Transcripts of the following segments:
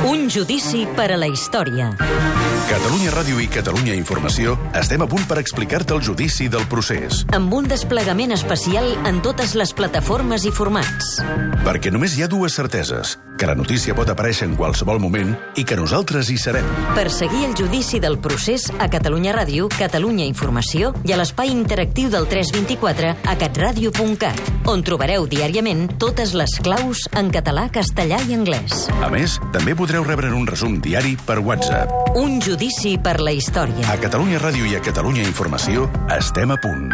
Un judici per a la història. Catalunya Ràdio i Catalunya Informació estem a punt per explicar-te el judici del procés. Amb un desplegament especial en totes les plataformes i formats. Perquè només hi ha dues certeses, que la notícia pot aparèixer en qualsevol moment i que nosaltres hi serem. Per seguir el judici del procés a Catalunya Ràdio, Catalunya Informació i a l'espai interactiu del 324 a catradio.cat, on trobareu diàriament totes les claus en català, castellà i anglès. A més, també podreu rebre un resum diari per WhatsApp. Un judici per la història. A Catalunya Ràdio i a Catalunya Informació estem a punt.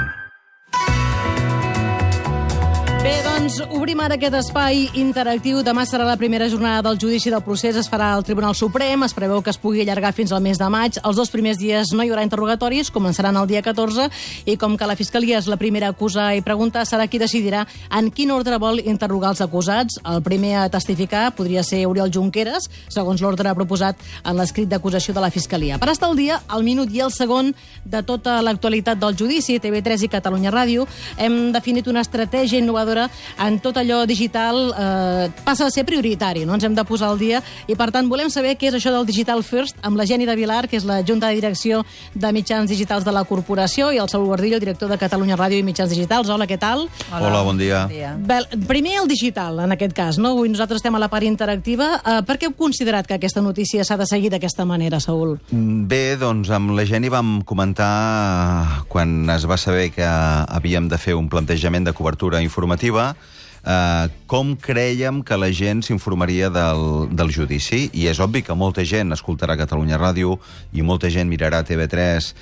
Bé, doncs, obrim ara aquest espai interactiu. Demà serà la primera jornada del judici del procés. Es farà al Tribunal Suprem. Es preveu que es pugui allargar fins al mes de maig. Els dos primers dies no hi haurà interrogatoris, començaran el dia 14, i com que la Fiscalia és la primera a acusar i preguntar, serà qui decidirà en quin ordre vol interrogar els acusats. El primer a testificar podria ser Oriol Junqueras, segons l'ordre proposat en l'escrit d'acusació de la Fiscalia. Per estar al dia, al minut i al segon de tota l'actualitat del judici, TV3 i Catalunya Ràdio, hem definit una estratègia innovadora en tot allò digital. Passa a ser prioritari, no? Ens hem de posar al dia, i per tant volem saber què és això del Digital First amb la Jenny de Vilar, que és la Junta de Direcció de Mitjans Digitals de la Corporació, i el Saúl Guardillo, director de Catalunya Ràdio i Mitjans Digitals. Hola, què tal? Hola, bon dia. Bé, primer el digital, en aquest cas, no? Avui nosaltres estem a la part interactiva. Per què heu considerat que aquesta notícia s'ha de seguir d'aquesta manera, Saúl? Bé, doncs amb la Jenny vam comentar, quan es va saber que havíem de fer un plantejament de cobertura informativa, com crèiem que la gent s'informaria del judici. I és obvi que molta gent escoltarà Catalunya Ràdio i molta gent mirarà TV3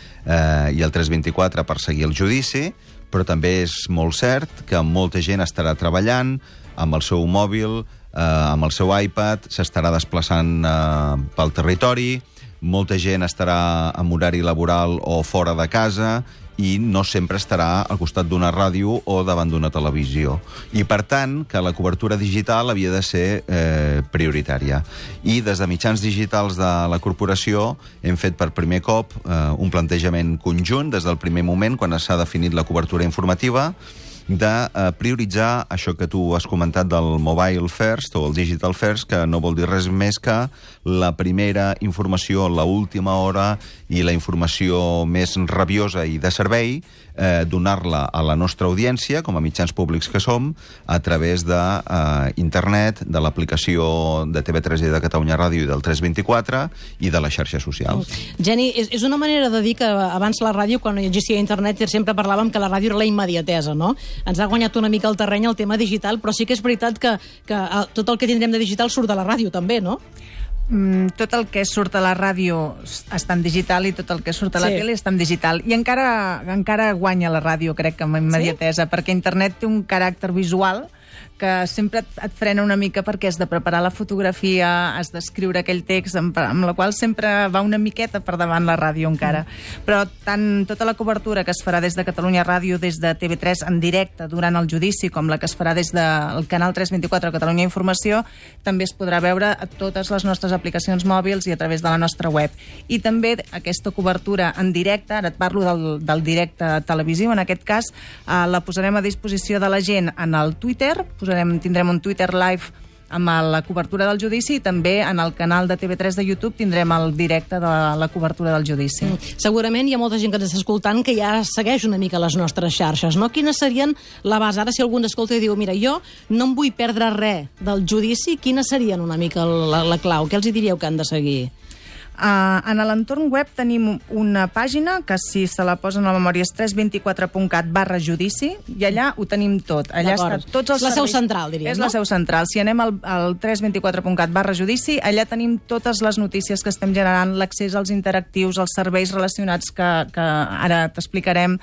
i el 324 per seguir el judici, però també és molt cert que molta gent estarà treballant amb el seu mòbil, amb el seu iPad, s'estarà desplaçant pel territori, molta gent estarà en horari laboral o fora de casa i no sempre estarà al costat d'una ràdio o davant d'una televisió. I, per tant, que la cobertura digital havia de ser prioritària. I des de Mitjans Digitals de la Corporació hem fet per primer cop un plantejament conjunt des del primer moment, quan s'ha definit la cobertura informativa, de prioritzar això que tu has comentat del Mobile First o el Digital First, que no vol dir res més que la primera informació, la última hora i la informació més rabiosa i de servei, donar-la a la nostra audiència, com a mitjans públics que som, a través d'internet, de l'aplicació de TV3 i de Catalunya Ràdio i del 324 i de les xarxes socials. Jenny, és una manera de dir que abans la ràdio, quan no existia internet, sempre parlàvem que la ràdio era la immediatesa, no? Ens ha guanyat una mica el terreny el tema digital, però sí que és veritat que tot el que tindrem de digital surt de la ràdio també, no? Tot el que surt a la ràdio està en digital i tot el que surt a la tele està en digital. I encara guanya la ràdio, crec que amb immediatesa, perquè internet té un caràcter visual que sempre et frena una mica, perquè has de preparar la fotografia, has d'escriure aquell text, amb la qual sempre va una miqueta per davant la ràdio encara. Però tant tota la cobertura que es farà des de Catalunya Ràdio, des de TV3 en directe durant el judici, com la que es farà des del canal 324 Catalunya Informació, també es podrà veure a totes les nostres aplicacions mòbils i a través de la nostra web. I també aquesta cobertura en directe, ara et parlo del directe televisiu, en aquest cas la posarem a disposició de la gent en el Twitter. Tindrem un Twitter live amb la cobertura del judici, i també en el canal de TV3 de YouTube tindrem el directe de la cobertura del judici. Segurament hi ha molta gent que ens està escoltant que ja segueix una mica les nostres xarxes, no? Quines serien la base? Ara, si algú ens escolta i diu, mira, jo no em vull perdre res del judici, quines serien una mica la clau? Què els diríeu que han de seguir? En l'entorn web tenim una pàgina que, si se la posen a la memòria, és 324.cat/judici, i allà ho tenim tot. Allà està tots els serveis. La seu central, diríem, no? És la seu central. Si anem al 324.cat/judici, allà tenim totes les notícies que estem generant, l'accés als interactius, els serveis relacionats que ara t'explicarem.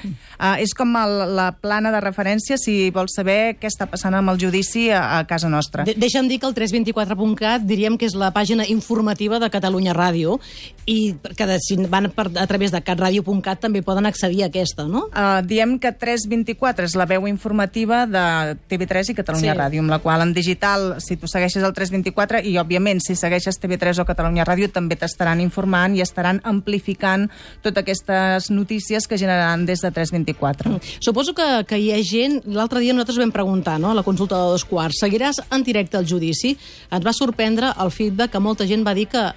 És com la plana de referència si vols saber què està passant amb el judici a casa nostra. Deixa'm dir que el 324.cat diríem que és la pàgina informativa de Catalunya Ràdio, i que si van a través de catradio.cat també poden accedir a aquesta, no? Diem que 324 és la veu informativa de TV3 i Catalunya Ràdio, amb la qual en digital, si tu segueixes el 324, i òbviament si segueixes TV3 o Catalunya Ràdio, també t'estaran informant i estaran amplificant totes aquestes notícies que generaran des de 324. Suposo que hi ha gent... L'altre dia nosaltres vam preguntar, no?, a la consulta de 2:15, seguiràs en directe el judici? Ens va sorprendre el feedback que molta gent va dir que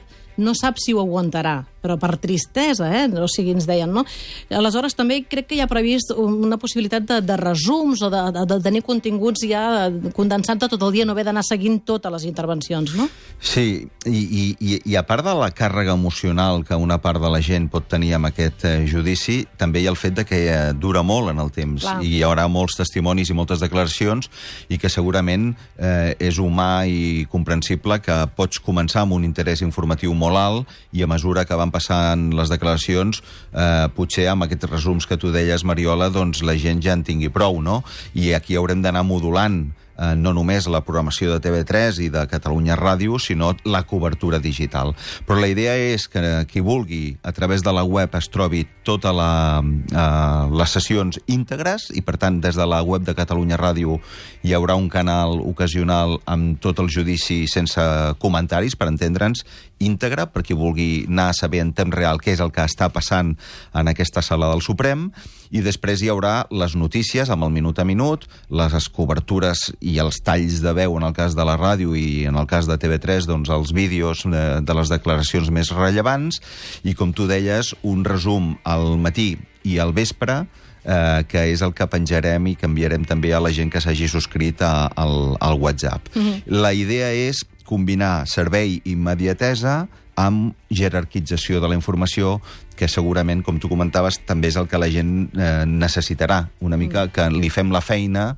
no sap si ho aguantarà, però per tristesa, o sigui, ens deien, no? Aleshores, també crec que hi ha previst una possibilitat de resums o de tenir continguts ja condensant tot el dia, no haver d'anar seguint totes les intervencions, no? Sí, i a part de la càrrega emocional que una part de la gent pot tenir amb aquest judici, també hi ha el fet de que dura molt en el temps. Clar. I hi haurà molts testimonis i moltes declaracions i que segurament és humà i comprensible que pots començar amb un interès informatiu molt alt i a mesura que van passant les declaracions, potser amb aquests resums que tu deies, Mariola, doncs la gent ja en tingui prou, no? I aquí haurem d'anar modulant no només la programació de TV3 i de Catalunya Ràdio, sinó la cobertura digital. Però la idea és que qui vulgui, a través de la web, es trobi totes les sessions íntegres i, per tant, des de la web de Catalunya Ràdio hi haurà un canal ocasional amb tot el judici sense comentaris, per entendre'ns, íntegre, per qui vulgui anar a saber en temps real què és el que està passant en aquesta sala del Suprem, i després hi haurà les notícies amb el minut a minut, les cobertures i els talls de veu en el cas de la ràdio i en el cas de TV3, doncs els vídeos de les declaracions més rellevants i, com tu deies, un resum al matí i al vespre, que és el que penjarem i canviarem també a la gent que s'hagi subscrit al WhatsApp. La idea és combinar servei i immediatesa amb jerarquització de la informació, que segurament, com tu comentaves, també és el que la gent necessitarà. Una mica que li fem la feina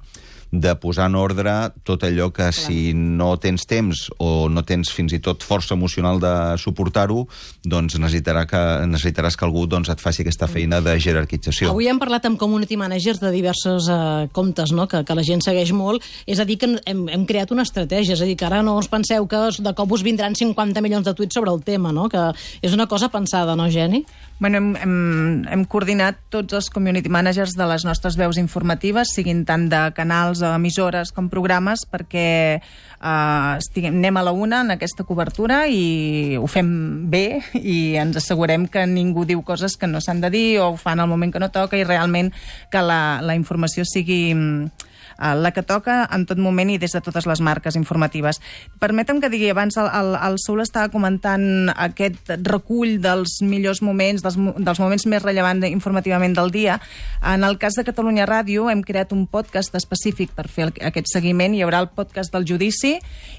de posar en ordre tot allò que si no tens temps o no tens fins i tot força emocional de suportar-ho, doncs necessitaràs que algú et faci aquesta feina de jerarquització. Avui hem parlat amb community managers de diversos comptes, no?, que la gent segueix molt. És a dir, que hem creat una estratègia. És a dir, que ara no us penseu que de cop us vindran 50 milions de tuits sobre el tema, no?, que és una cosa pensada, no, Geni? Bueno, hem coordinat tots els community managers de les nostres veus informatives, siguin tant de canals, emissores com programes, perquè anem a la una en aquesta cobertura i ho fem bé i ens assegurem que ningú diu coses que no s'han de dir o ho fan al moment que no toca i realment que la informació sigui la que toca en tot moment i des de totes les marques informatives. Permetem que digui, abans el Saúl estava comentant aquest recull dels millors moments, dels moments més rellevants informativament del dia. En el cas de Catalunya Ràdio hem creat un podcast específic per fer aquest seguiment. Hi haurà el podcast del judici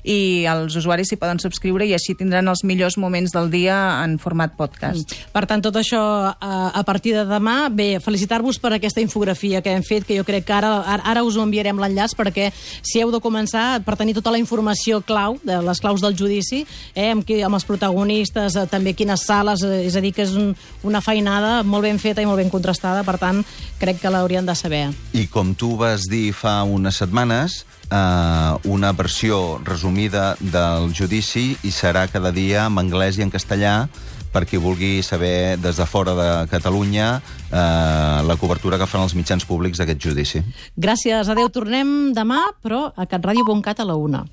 i els usuaris s'hi poden subscriure i així tindran els millors moments del dia en format podcast. Per tant, tot això a partir de demà. Bé, felicitar-vos per aquesta infografia que hem fet, que jo crec que ara us ho enviarem l'enllaç, perquè si heu de començar per tenir tota la informació clau, de les claus del judici, amb els protagonistes, també quines sales, és a dir, que és una feinada molt ben feta i molt ben contrastada, per tant, crec que l'haurien de saber. I com tu vas dir fa unes setmanes, una versió resumida del judici i serà cada dia en anglès i en castellà per qui vulgui saber des de fora de Catalunya la cobertura que fan els mitjans públics d'aquest judici. Gràcies, adeu. Tornem demà, però a catradio.cat a la 1.